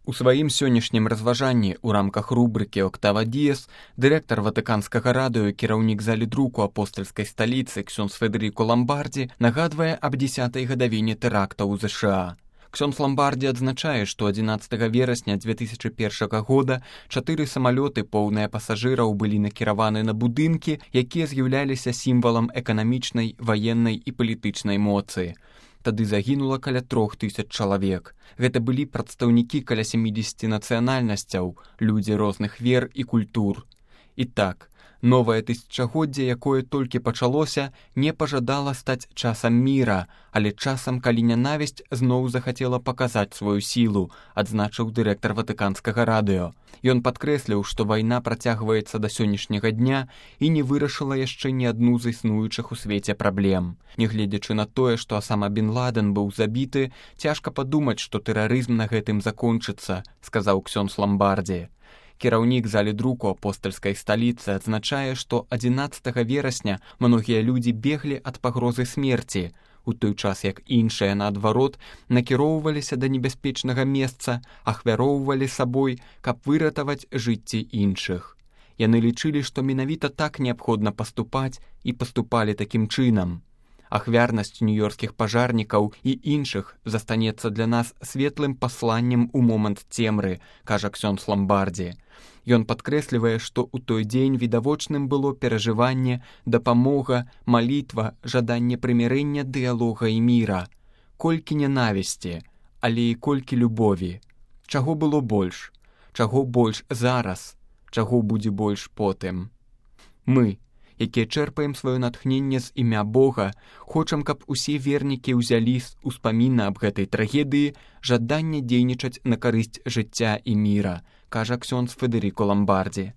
У сваім сённяшнім разважанні ў рамках рубрыкі «Октава Діес» дырэктар Ватыканскага радыё і кіраўнік залі друку апостальскай сталіцы ксёндз Федэріко Ламбардзі нагадвае аб 10-й гадавіне тэрактаў у ЗША. Ксёндз Ламбардзі адзначае, што 11 верасня 2001 года 4 самалёты, поўныя пасажыраў, былі накіраваны на будынкі, якія з'яўляліся сімвалам эканамічнай, ваеннай і палітычнай моцы. Тады загінула каля 3000 чалавек. Гэта былі прадстаўнікі каля 70 нацыянальнасцяў, людзі розных вер і культур. І так, новае тысячагоддзе, якое толькі пачалося, не пажадала стаць часам міра, але часам, калі нянавісць зноў захацела паказаць сваю сілу, адзначыў дырэктар Ватыканскага радыё. Ён падкрэсліў, што вайна працягваецца да сённяшняга дня і не вырашыла яшчэ ні адну з існуючых у свеце праблем. Нягледзячы на тое, што Асама бен Ладен быў забіты, цяжка падумаць, што тэрарызм на гэтым закончыцца, сказаў ксёндз Ламбардзі. Кіраўнік залі друку апостальскай сталіцы адзначае, што 11 верасня многія людзі беглі ад пагрозы смерці, у той час як іншыя, наадварот, накіроўваліся да небяспечнага месца, ахвяроўвалі сабой, каб выратаваць жыцці іншых. Яны лічылі, што менавіта так неабходна паступаць і паступалі такім чынам. Ахвярнасць нью-йоркскіх пажарнікаў і іншых застанецца для нас светлым пасланнем у момант цемры, кажа ксёндз Ламбардзі. Ён падкрэслівае, што ў той дзень відавочным было перажыванне, дапамога, малітва, жаданне прымірэння, дыялога і міра. Колькі нянавісці, але і колькі любові. Чаго было больш? Чаго больш зараз? Чаго будзе больш потым? Мы, якія чэрпаем сваё натхненне з імя Бога, хочам, каб усе вернікі ўзялі з успаміна аб гэтай трагедыі жаданне дзейнічаць на карысць жыцця і міра, кажа ксёндз Федэріко Ламбардзі.